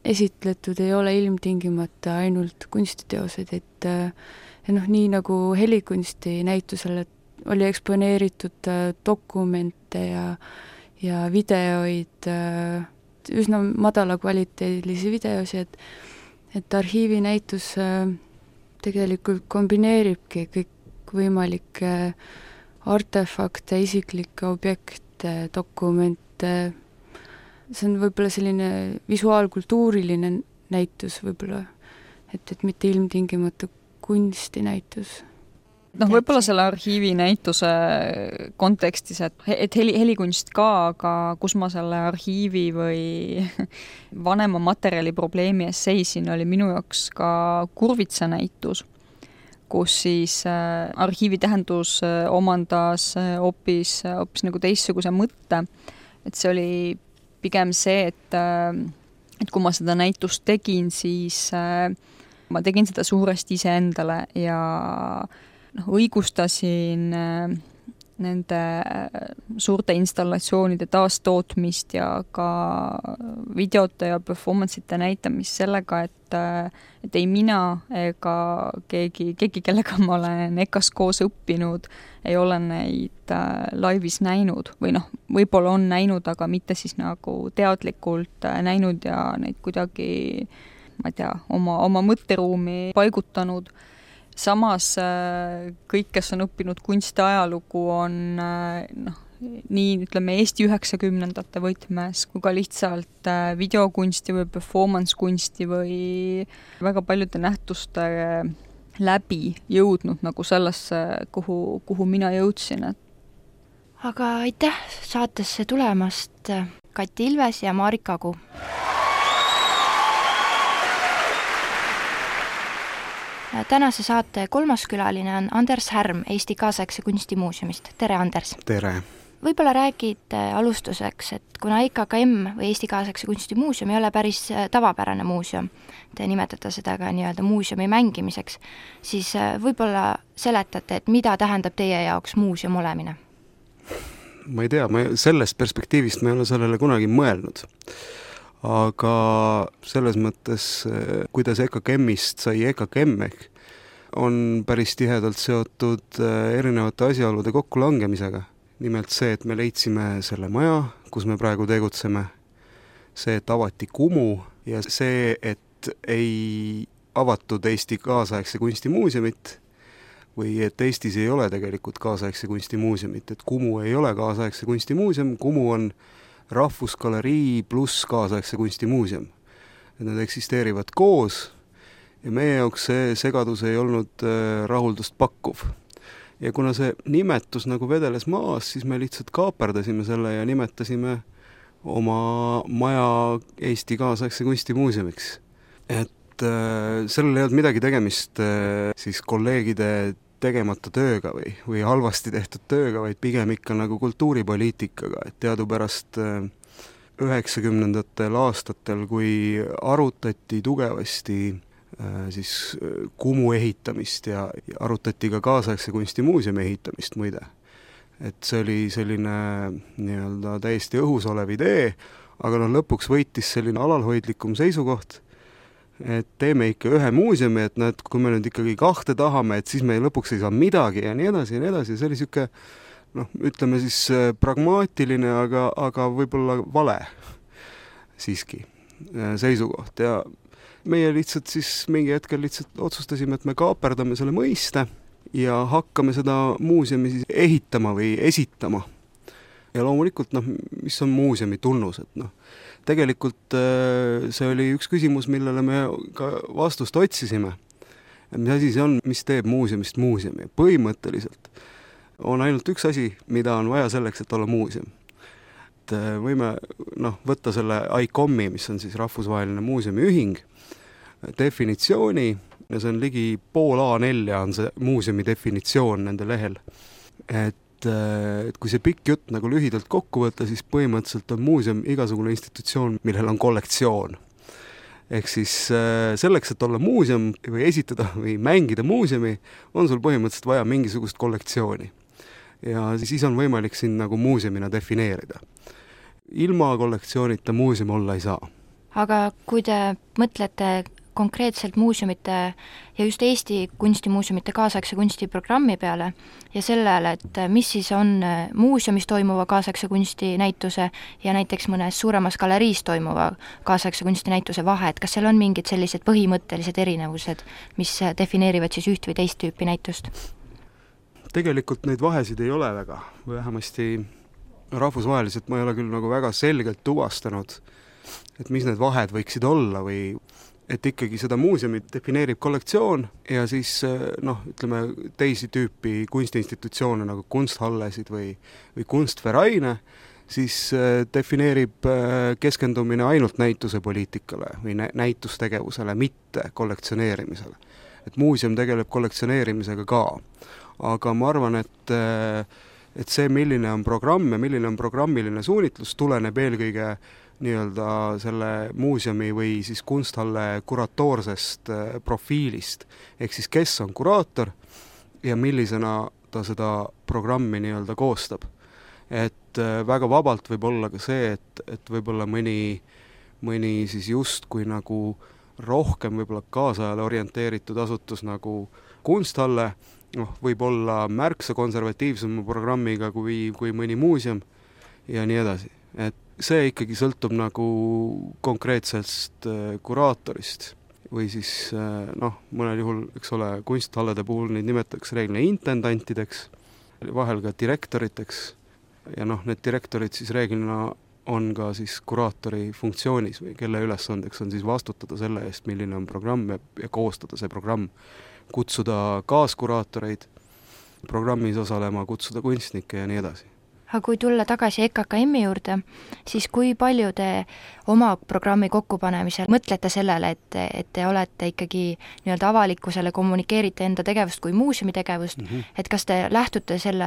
Speaker 4: esitletud ei ole ilmtingimata ainult kunstiteosed, et ja noh, nii nagu helikunsti näitusele oli eksponeeritud äh, dokumente ja, ja videoid, äh, üsna madala kvaliteedilisi videosi, et, et arhiivinäitus äh, tegelikult kombineeribki kõik võimalikke artefakte, isiklikke objekte, dokumente. See on võib-olla selline visuaalkultuuriline näitus võib-olla, et, et mitte ilmtingimata kunstinäitus.
Speaker 3: Noh, võib-olla selle arhiivi näituse kontekstis, et, et heli, helikunst ka, aga kus ma selle arhiivi või vanema materjali probleemi ees seisin, oli minu jaoks ka Kurvitsa näitus, kus siis äh, arhiivi tähendus äh, omandas äh, hoopis, hoopis nagu teistsuguse mõtte. Et see oli pigem see, et, äh, et kui ma seda näitust tegin, siis äh, ma tegin seda suuresti iseendale ja noh, õigustasin äh, nende suurte installatsioonide taastootmist ja ka videote ja performance'ite näitamist sellega, et, et ei mina ega keegi, keegi, kellega ma olen E K A-s koos õppinud, ei ole neid laivis näinud või noh, võib-olla on näinud, aga mitte siis nagu teadlikult näinud ja neid kuidagi, ma ei tea, oma, oma mõtteruumi paigutanud. Samas kõik, kes on õppinud kunstiajalugu, on noh, nii ütleme Eesti üheksakümnendate võtmes kui ka lihtsalt videokunsti või performance kunsti või väga paljude nähtuste läbi jõudnud nagu sellesse, kuhu, kuhu mina jõudsin.
Speaker 2: Aga aitäh saatesse tulemast, Kati Ilves ja Marika Agu! Tänase saate kolmas külaline on Anders Härm Eesti Kaasaegse Kunstimuuseumist. Tere, Anders!
Speaker 5: Tere!
Speaker 2: Võib-olla räägid alustuseks, et kuna E K K M või Eesti Kaasaegse Kunstimuuseum ei ole päris tavapärane muuseum, te nimetate seda ka nii-öelda muuseumi mängimiseks, siis võib-olla seletate, et mida tähendab teie jaoks muuseum olemine?
Speaker 5: ma ei tea, ma sellest perspektiivist ma ei ole sellele kunagi mõelnud. Aga selles mõttes, kuidas E K K M-ist sai E K K M ehk, on päris tihedalt seotud erinevate asjaolude kokkulangemisega. Nimelt see, et me leidsime selle maja, kus me praegu tegutseme, see, et avati Kumu ja see, et ei avatud Eesti kaasaegse kunstimuuseumit või et Eestis ei ole tegelikult kaasaegse kunstimuuseumit, et Kumu ei ole kaasaegse kunstimuuseum, Kumu on rahvusgalerii pluss kaasaegse kunstimuuseum. Et nad eksisteerivad koos ja meie jaoks see segadus ei olnud rahuldust pakkuv. Ja kuna see nimetus nagu vedeles maas, siis me lihtsalt kaaperdasime selle ja nimetasime oma maja Eesti kaasaegse kunstimuuseumiks. Et äh, sellel ei olnud midagi tegemist äh, siis kolleegide tegemata tööga või, või halvasti tehtud tööga, vaid pigem ikka nagu kultuuripoliitikaga, et teadupärast äh, üheksakümnendatel aastatel, kui arutati tugevasti äh, siis Kumu ehitamist ja, ja arutati ka kaasaegse kunstimuuseumi ehitamist muide, et see oli selline nii-öelda täiesti õhus olev idee, aga noh, lõpuks võitis selline alalhoidlikum seisukoht, et teeme ikka ühe muuseumi, et näed, kui me nüüd ikkagi kahte tahame, et siis me lõpuks ei saa midagi ja nii edasi ja nii edasi, see oli siuke, noh, ütleme siis pragmaatiline, aga, aga võib-olla vale siiski seisukoht ja meie lihtsalt siis mingi hetkel lihtsalt otsustasime, et me kaaperdame selle mõiste ja hakkame seda muuseumi siis ehitama või esitama. Ja loomulikult, noh, mis on muuseumi tunnus, et noh, tegelikult see oli üks küsimus, millele me ka vastust otsisime. Mis asi see on, mis teeb muuseumist muuseumi? Põhimõtteliselt on ainult üks asi, mida on vaja selleks, et olla muuseum. Et võime noh, võtta selle I C O M-i, mis on siis rahvusvaheline muuseumiühing, definitsiooni, ja see on ligi pool A nelja on see muuseumi definitsioon nende lehel. Et et kui see pikk jutt nagu lühidalt kokku võtta, siis põhimõtteliselt on muuseum igasugune institutsioon, millel on kollektsioon. Ehk siis selleks, et olla muuseum või esitada või mängida muuseumi, on sul põhimõtteliselt vaja mingisugust kollektsiooni. Ja siis on võimalik siin nagu muuseumina defineerida. Ilma kollektsioonita muuseum olla ei saa.
Speaker 2: Aga kui te mõtlete konkreetselt muuseumite ja just Eesti kunstimuuseumite kaasaegse kunstiprogrammi peale ja sellele, et mis siis on muuseumis toimuva kaasaegse kunstinäituse ja näiteks mõnes suuremas galeriis toimuva kaasaegse kunstinäituse vahe, et kas seal on mingid sellised põhimõttelised erinevused, mis defineerivad siis üht või teist tüüpi näitust?
Speaker 5: Tegelikult neid vahesid ei ole väga, vähemasti rahvusvaheliselt ma ei ole küll nagu väga selgelt tuvastanud, et mis need vahed võiksid olla või et ikkagi seda muuseumi defineerib kollektsioon ja siis noh, ütleme teisi tüüpi kunstiinstitutsioone nagu kunsthallesid või, või kunstvereine, siis defineerib keskendumine ainult näituse poliitikale või näitustegevusele, mitte kollektsioneerimisele. Et muuseum tegeleb kollektsioneerimisega ka, aga ma arvan, et, et see, milline on programm ja milline on programmiline suunitlus, tuleneb eelkõige nii-öelda selle muuseumi või siis kunsthalle kuratoorsest profiilist. Ehk siis kes on kuraator ja millisena ta seda programmi nii-öelda koostab. Et väga vabalt võib olla ka see, et, et võib-olla mõni, mõni siis just kui nagu rohkem võib-olla kaasajale orienteeritud asutus nagu kunsthalle, noh, võib olla märksa konservatiivsema programmiga kui, kui mõni muuseum ja nii edasi. Et see ikkagi sõltub nagu konkreetsest kuraatorist või siis noh, mõnel juhul, eks ole, kunsthallede puhul neid nimetatakse reeglina intendantideks, vahel ka direktoriteks ja noh, need direktorid siis reeglina on ka siis kuraatori funktsioonis või kelle ülesandeks on siis vastutada selle eest, milline on programm ja, ja koostada see programm, kutsuda kaaskuraatoreid programmis osalema, kutsuda kunstnikke ja nii edasi.
Speaker 2: Aga kui tulla tagasi E K K M-i juurde, siis kui palju te oma programmi kokkupanemisel mõtlete sellele, et, et te olete ikkagi nii-öelda avalikkusele kommunikeerite enda tegevust kui muuseumi tegevust, mm -hmm. et kas te lähtute selle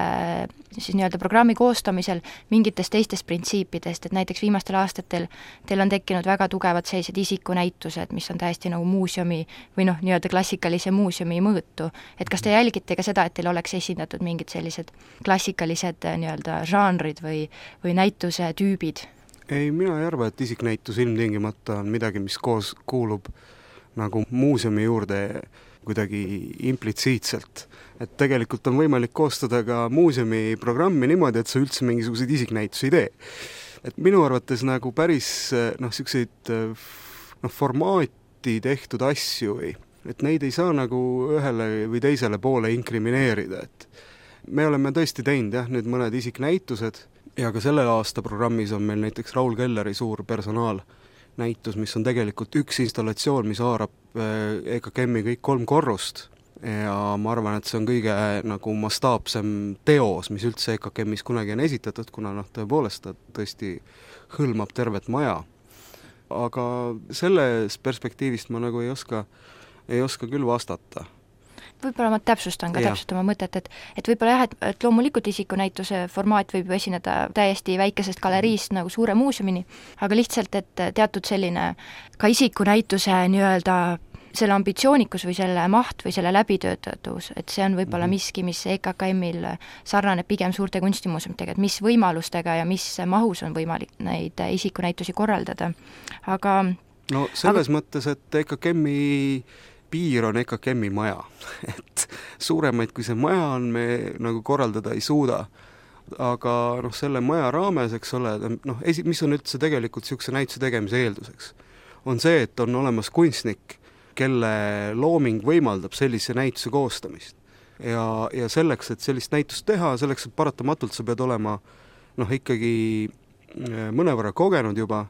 Speaker 2: siis nii-öelda programmi koostamisel mingitest teistest printsiipidest, et näiteks viimastel aastatel teil on tekkinud väga tugevad sellised isikunäitused, mis on täiesti nagu muuseumi või noh, nii-öelda klassikalise muuseumi mõõtu, et kas te jälgite ka seda, et teil oleks esindatud mingid sellised klassikalised nii-öelda žanrid või, või näituse tüübid?
Speaker 5: Ei, mina ei arva, et isiknäitus ilmtingimata on midagi, mis koos kuulub nagu muuseumi juurde kuidagi implitsiitselt. Et tegelikult on võimalik koostada ka muuseumi programmi niimoodi, et sa üldse mingisuguseid isiknäitusi ei tee. Et minu arvates nagu päris noh, siukseid noh, formaati tehtud asju või, et neid ei saa nagu ühele või teisele poole inkrimineerida, et me oleme tõesti teinud jah, nüüd mõned isiknäitused ja ka selle aasta programmis on meil näiteks Raul Kelleri suur personaalnäitus, mis on tegelikult üks installatsioon, mis haarab E K K M-i kõik kolm korrust ja ma arvan, et see on kõige nagu mastaapsem teos, mis üldse E K K M-is kunagi on esitatud, kuna noh, tõepoolest ta tõesti hõlmab tervet maja. Aga selles perspektiivist ma nagu ei oska, ei oska küll vastata.
Speaker 2: Võib-olla ma täpsustan ka ja. täpselt oma mõtet, et, et võib-olla jah, et, et loomulikult isikunäituse formaat võib esineda täiesti väikesest galeriist nagu suure muuseumini, aga lihtsalt, et teatud selline ka isikunäituse nii-öelda selle ambitsioonikus või selle maht või selle läbitöötatus, et see on võib-olla miski, mis E K K M-il sarnaneb pigem suurte kunstimuuseumidega, et mis võimalustega ja mis mahus on võimalik neid isikunäitusi korraldada. Aga
Speaker 5: no selles
Speaker 2: aga...
Speaker 5: mõttes, et E K K M-i piir on E K K M-i maja, et suuremaid kui see maja on, me nagu korraldada ei suuda. Aga noh, selle maja raames, eks ole, noh, esi, mis on üldse tegelikult niisuguse näituse tegemise eelduseks, on see, et on olemas kunstnik, kelle looming võimaldab sellise näituse koostamist. Ja, ja selleks, et sellist näitust teha, selleks, et paratamatult sa pead olema noh, ikkagi mõnevõrra kogenud juba,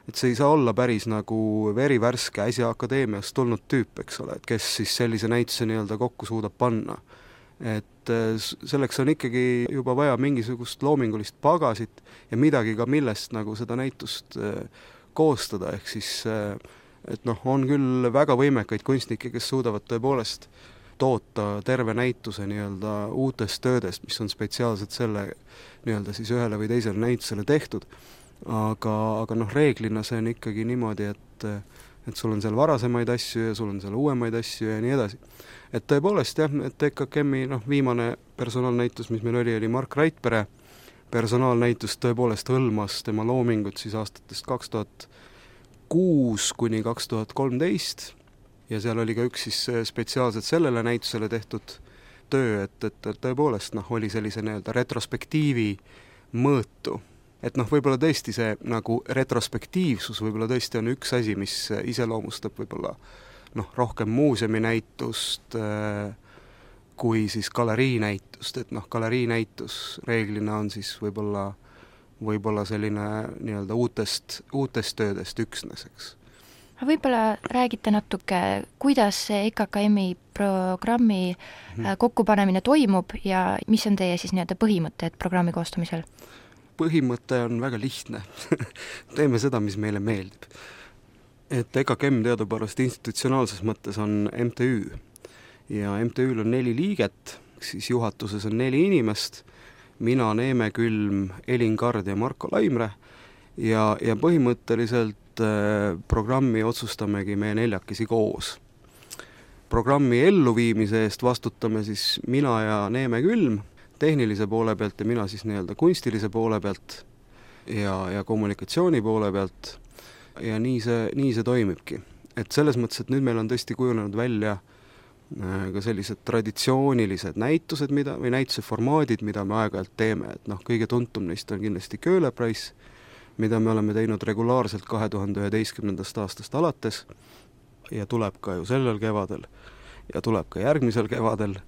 Speaker 5: et see ei saa olla päris nagu verivärske äsja akadeemiast tulnud tüüp, eks ole, et kes siis sellise näituse nii-öelda kokku suudab panna. Et selleks on ikkagi juba vaja mingisugust loomingulist pagasit ja midagi ka millest nagu seda näitust koostada, ehk siis et noh, on küll väga võimekaid kunstnikke, kes suudavad tõepoolest toota terve näituse nii-öelda uutest töödest, mis on spetsiaalselt selle nii-öelda siis ühele või teisele näitusele tehtud. Aga, aga noh, reeglina see on ikkagi niimoodi, et, et sul on seal varasemaid asju ja sul on seal uuemaid asju ja nii edasi. Et tõepoolest jah, et E K K M-i noh, viimane personaalnäitus, mis meil oli, oli Mark Raidpere personaalnäitus, tõepoolest hõlmas tema loomingut siis aastatest kaks tuhat kuus kuni kaks tuhat kolmteist ja seal oli ka üks siis spetsiaalselt sellele näitusele tehtud töö, et, et, et tõepoolest noh, oli sellise nii-öelda retrospektiivi mõõtu. Et noh, võib-olla tõesti see nagu retrospektiivsus võib-olla tõesti on üks asi, mis iseloomustab võib-olla noh, rohkem muuseumi näitust äh, kui siis galerii näitust, et noh, galerii näitus reeglina on siis võib-olla võib-olla selline nii-öelda uutest, uutest töödest üksneseks.
Speaker 2: Võib-olla räägite natuke, kuidas see E K K M-i programmi hmm. kokkupanemine toimub ja mis on teie siis nii-öelda põhimõtted programmi koostamisel?
Speaker 5: Põhimõte on väga lihtne. Teeme seda, mis meile meeldib. Et E K K M teadupärast institutsionaalses mõttes on M T Ü ja M T Ü-l on neli liiget, siis juhatuses on neli inimest, mina, Neeme Külm, Elin Kard ja Marko Laimre ja, ja põhimõtteliselt äh, programmi otsustamegi me neljakesi koos. Programmi elluviimise eest vastutame siis mina ja Neeme Külm tehnilise poole pealt ja mina siis nii-öelda kunstilise poole pealt ja, ja kommunikatsiooni poole pealt ja nii see, nii see toimibki. Et selles mõttes, et nüüd meil on tõesti kujunenud välja ka sellised traditsioonilised näitused, mida, või näituse formaadid, mida me aeg-ajalt teeme, et noh, kõige tuntum neist on kindlasti Köhlepreis, mida me oleme teinud regulaarselt kahe tuhande üheteistkümnendast aastast alates ja tuleb ka ju sellel kevadel ja tuleb ka järgmisel kevadel,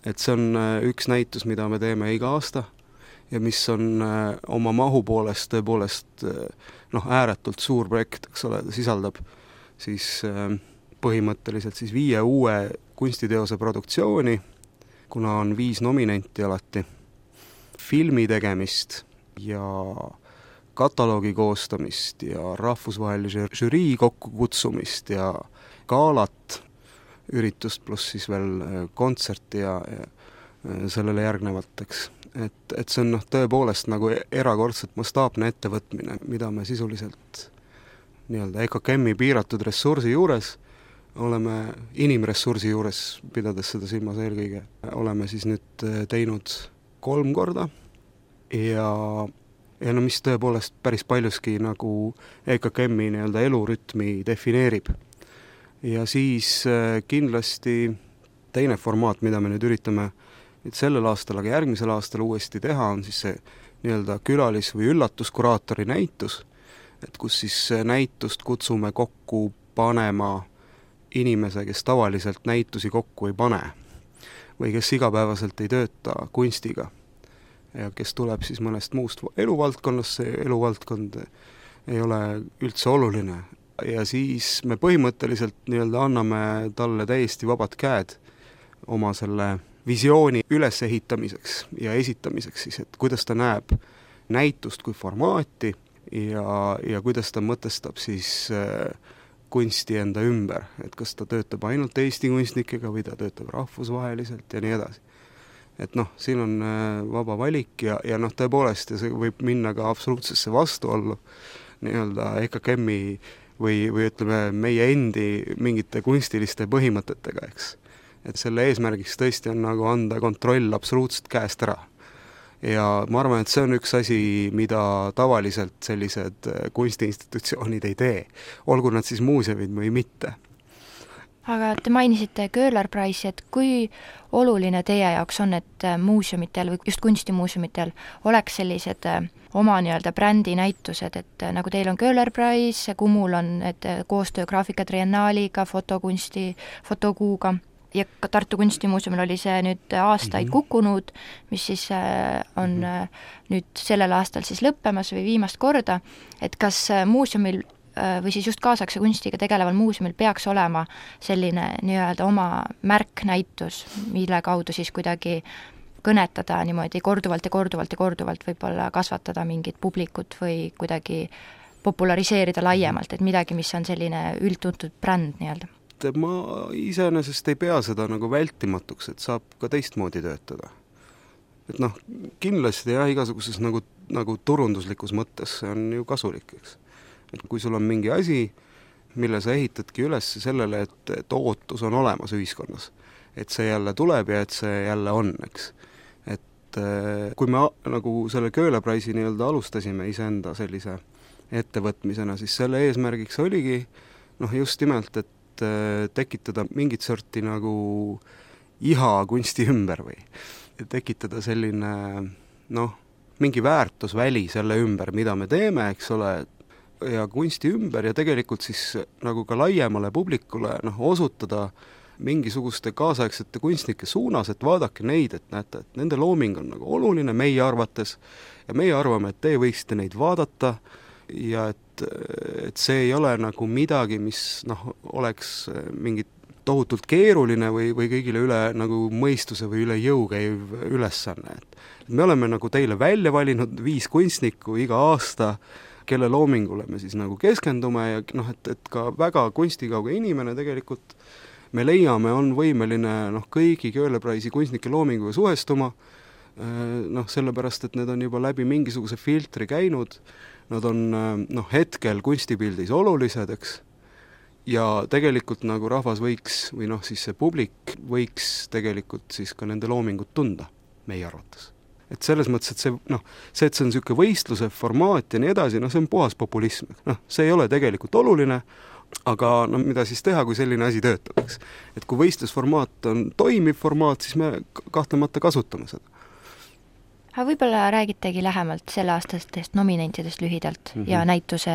Speaker 5: et see on üks näitus, mida me teeme iga aasta ja mis on oma mahu poolest tõepoolest noh, ääretult suur projekt, eks ole, ta sisaldab siis põhimõtteliselt siis viie uue kunstiteose produktsiooni, kuna on viis nominenti alati, filmi tegemist ja kataloogi koostamist ja rahvusvahelise žürii kokkukutsumist ja galat, üritust pluss siis veel kontserti ja, ja sellele järgnevateks. Et, et see on noh, tõepoolest nagu erakordselt mastaapne ettevõtmine, mida me sisuliselt nii-öelda E K K M-i piiratud ressursi juures oleme inimressursi juures, pidades seda silmas eelkõige, oleme siis nüüd teinud kolm korda ja, ja no mis tõepoolest päris paljuski nagu E K K M-i nii-öelda elurütmi defineerib. Ja siis kindlasti teine formaat, mida me nüüd üritame nüüd sellel aastal, aga järgmisel aastal uuesti teha, on siis see nii-öelda külalis- või üllatuskuraatori näitus, et kus siis näitust kutsume kokku panema inimese, kes tavaliselt näitusi kokku ei pane või kes igapäevaselt ei tööta kunstiga ja kes tuleb siis mõnest muust eluvaldkonnast, see eluvaldkond ei ole üldse oluline. Ja siis me põhimõtteliselt nii-öelda anname talle täiesti vabad käed oma selle visiooni ülesehitamiseks ja esitamiseks siis, et kuidas ta näeb näitust kui formaati ja, ja kuidas ta mõtestab siis äh, kunsti enda ümber, et kas ta töötab ainult Eesti kunstnikega või ta töötab rahvusvaheliselt ja nii edasi. Et noh, siin on äh, vaba valik ja, ja noh, tõepoolest ja see võib minna ka absoluutsesse vastuollu nii-öelda E K K M-i või, või ütleme meie endi mingite kunstiliste põhimõtetega, eks. Et selle eesmärgiks tõesti on nagu anda kontroll absoluutselt käest ära. Ja ma arvan, et see on üks asi, mida tavaliselt sellised kunstiinstitutsioonid ei tee, olgu nad siis muuseumid või mitte.
Speaker 2: Aga te mainisite Köhler Price'i, et kui oluline teie jaoks on, et muuseumitel või just kunstimuuseumitel oleks sellised oma nii-öelda brändi näitused, et nagu teil on Köhler Price, Kumul on et koostöö Graafika Triennaaliga, fotokunsti, fotokuuga ja ka Tartu Kunstimuuseumil oli see nüüd aastaid mm-hmm. kukkunud, mis siis on mm-hmm. nüüd sellel aastal siis lõppemas või viimast korda, et kas muuseumil või siis just kaasaegse kunstiga tegeleval muuseumil peaks olema selline nii-öelda oma märknäitus, mille kaudu siis kuidagi kõnetada niimoodi korduvalt ja korduvalt ja korduvalt võib-olla kasvatada mingit publikut või kuidagi populariseerida laiemalt, et midagi, mis on selline üldtuntud bränd nii-öelda.
Speaker 5: Ma iseenesest ei pea seda nagu vältimatuks, et saab ka teistmoodi töötada. Et noh, kindlasti jah, igasuguses nagu, nagu turunduslikus mõttes see on ju kasulik, eks. Et kui sul on mingi asi, mille sa ehitadki üles sellele, et, et ootus on olemas ühiskonnas, et see jälle tuleb ja et see jälle on, eks. Et kui me nagu selle Köhler Price'i nii-öelda alustasime iseenda sellise ettevõtmisena, siis selle eesmärgiks oligi noh, just nimelt, et tekitada mingit sorti nagu iha kunsti ümber või tekitada selline noh, mingi väärtusväli selle ümber, mida me teeme, eks ole, ja kunsti ümber ja tegelikult siis nagu ka laiemale publikule noh, osutada mingisuguste kaasaegsete kunstnike suunas, et vaadake neid, et näete, et nende looming on nagu oluline meie arvates ja meie arvame, et te võiksite neid vaadata ja et, et see ei ole nagu midagi, mis noh, oleks mingi tohutult keeruline või, või kõigile üle nagu mõistuse või üle jõu käiv ülesanne. Et me oleme nagu teile välja valinud viis kunstnikku iga aasta, kelle loomingule me siis nagu keskendume ja noh, et, et ka väga kunstikauge inimene tegelikult me leiame, on võimeline noh, kõigi Köhler Price'i kunstnike loominguga suhestuma, noh, sellepärast, et need on juba läbi mingisuguse filtri käinud, nad on noh, hetkel kunstipildis olulised, eks, ja tegelikult nagu rahvas võiks, või noh, siis see publik võiks tegelikult siis ka nende loomingut tunda, meie arvates. Et selles mõttes, et see, noh, see, et see on niisugune võistluse formaat ja nii edasi, noh, see on puhas populism. Noh, see ei ole tegelikult oluline, aga no mida siis teha, kui selline asi töötab, eks. Et kui võistlusformaat on toimiv formaat, siis me kahtlemata kasutame seda.
Speaker 2: Aga võib-olla räägitegi lähemalt selle aastastest nominentidest lühidalt mm-hmm. ja näituse,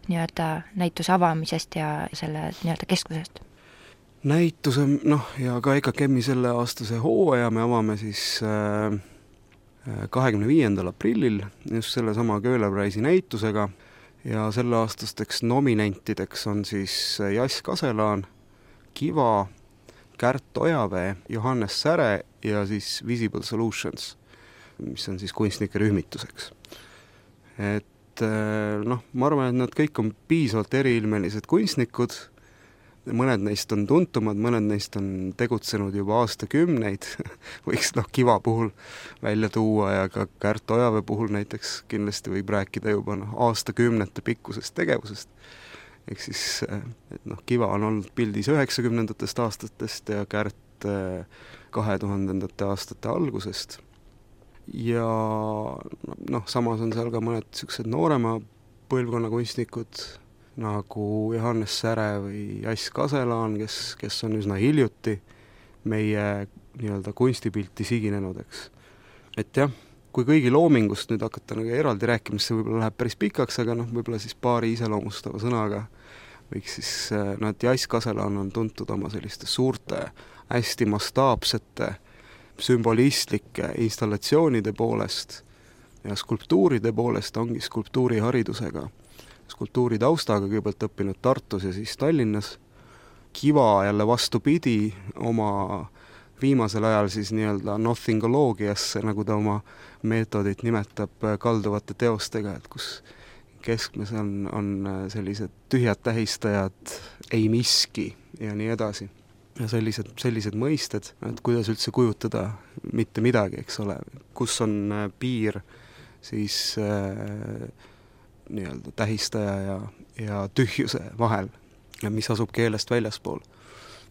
Speaker 2: nii-öelda, näituse avamisest ja selle nii-öelda keskusest.
Speaker 5: Näituse, noh, ja ka E K K M-i selle aastase hooaja me avame siis äh, kahekümne viiendal aprillil just selle sama Köhler Price'i näitusega ja selle aastasteks nominentideks on siis Jass Kaselaan, Kiva, Kärt Ojavee, Johannes Säre ja siis Visible Solutions, mis on siis kunstnike rühmituseks. Et noh, ma arvan, et nad kõik on piisavalt eriilmelised kunstnikud, mõned neist on tuntumad, mõned neist on tegutsenud juba aastakümneid, võiks noh Kiva puhul välja tuua ja ka Kärt Ojavee puhul näiteks kindlasti võib rääkida juba noh, aastakümnete pikkusest tegevusest. Ehk siis, et noh, Kiva on olnud pildis üheksakümnendatest aastatest ja Kärt kahe tuhandendate aastate algusest. ja noh, samas on seal ka mõned niisugused noorema põlvkonna kunstnikud, nagu Johannes Säre või Jass Kaselaan, kes, kes on üsna hiljuti meie nii-öelda kunstipilti siginenud, eks. Et jah, kui kõigi loomingust nüüd hakata nagu eraldi rääkima, see võib-olla läheb päris pikaks, aga noh, võib-olla siis paari iseloomustava sõnaga võiks siis, noh, et Jass Kaselaan on tuntud oma selliste suurte, hästi mastaapsete, sümbolistlike installatsioonide poolest ja skulptuuride poolest ongi skulptuuriharidusega, skulptuuri taustaga kõigepealt õppinud Tartus ja siis Tallinnas. Kiva jälle vastupidi oma viimasel ajal siis nii-öelda nothingoloogiasse, nagu ta oma meetodit nimetab, kalduvate teostega, et kus keskmes on, on sellised tühjad tähistajad, ei miski ja nii edasi. Ja sellised, sellised mõisted, et kuidas üldse kujutada mitte midagi, eks ole, kus on piir siis äh, nii-öelda tähistaja ja, ja tühjuse vahel ja mis asub keelest väljaspool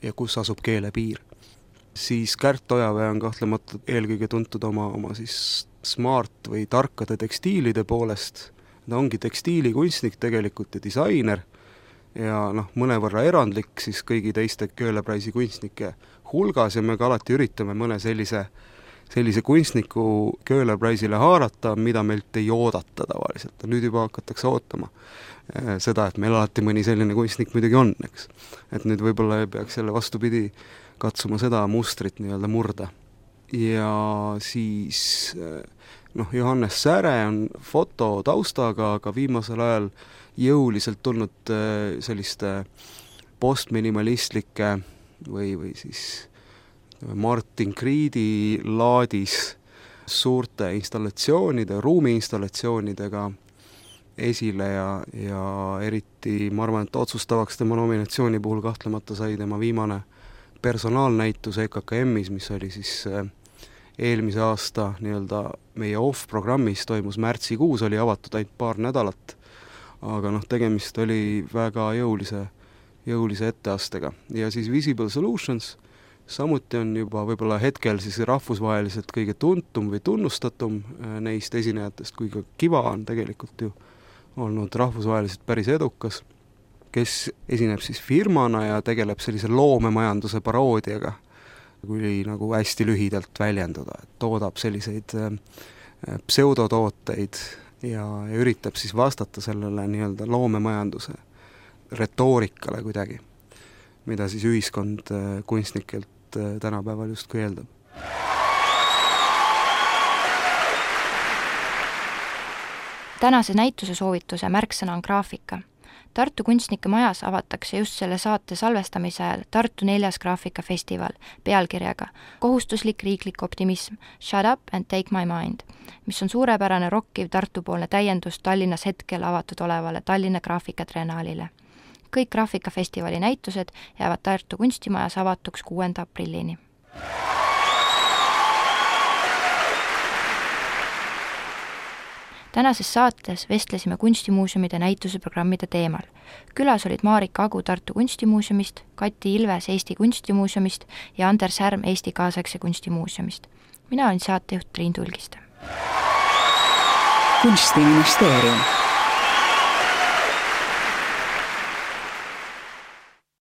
Speaker 5: ja kus asub keele piir. Siis Kärt Ojavee on kahtlemata eelkõige tuntud oma, oma siis smart või tarkade tekstiilide poolest. Ta ongi tekstiilikunstnik tegelikult ja disainer ja noh, mõnevõrra erandlik siis kõigi teiste Köhlepreisi kunstnike hulgas ja me ka alati üritame mõne sellise, sellise kunstniku Köhlepreisile haarata, mida meilt ei oodata tavaliselt. Nüüd juba hakatakse ootama seda, et meil alati mõni selline kunstnik muidugi on, eks. Et nüüd võib-olla peaks jälle vastupidi katsuma seda mustrit nii-öelda murda. Ja siis noh, Johannes Säre on fototaustaga, aga viimasel ajal jõuliselt tulnud selliste postminimalistlike või, või siis Martin Kriidi laadis suurte installatsioonide, ruumiinstallatsioonidega esile ja, ja eriti ma arvan, et otsustavaks tema nominatsiooni puhul kahtlemata sai tema viimane personaalnäitus E K K M-is, mis oli siis eelmise aasta nii-öelda meie off-programmis, toimus märtsikuus, oli avatud ainult paar nädalat, aga noh, tegemist oli väga jõulise, jõulise etteastega. Ja siis Visible Solutions samuti on juba võib-olla hetkel siis rahvusvaheliselt kõige tuntum või tunnustatum neist esinejatest, kui ka Kiva on tegelikult ju olnud rahvusvaheliselt päris edukas, kes esineb siis firmana ja tegeleb sellise loomemajanduse paroodiaga, kui nagu hästi lühidalt väljenduda, et toodab selliseid pseudotooteid ja, ja üritab siis vastata sellele nii-öelda loomemajanduse retoorikale kuidagi, mida siis ühiskond kunstnikelt tänapäeval justkui eeldab.
Speaker 2: Tänase näituse soovituse märksõna on graafika. Tartu kunstnike majas avatakse just selle saate salvestamise ajal Tartu neljas graafikafestival pealkirjaga Kohustuslik riiklik optimism, Shut up and take my mind, mis on suurepärane rokkiv Tartu-poolne täiendus Tallinnas hetkel avatud olevale Tallinna graafikatriennaalile. Kõik graafikafestivali näitused jäävad Tartu kunstimajas avatuks kuuenda aprillini. Tänases saates vestlesime kunstimuuseumide näituseprogrammide teemal. Külas olid Marika Agu Tartu kunstimuuseumist, Kati Ilves Eesti kunstimuuseumist ja Anders Härm Eesti kaasaegse kunstimuuseumist. Mina olin saatejuht Triin Tulgiste.
Speaker 1: Kunstiministeerium.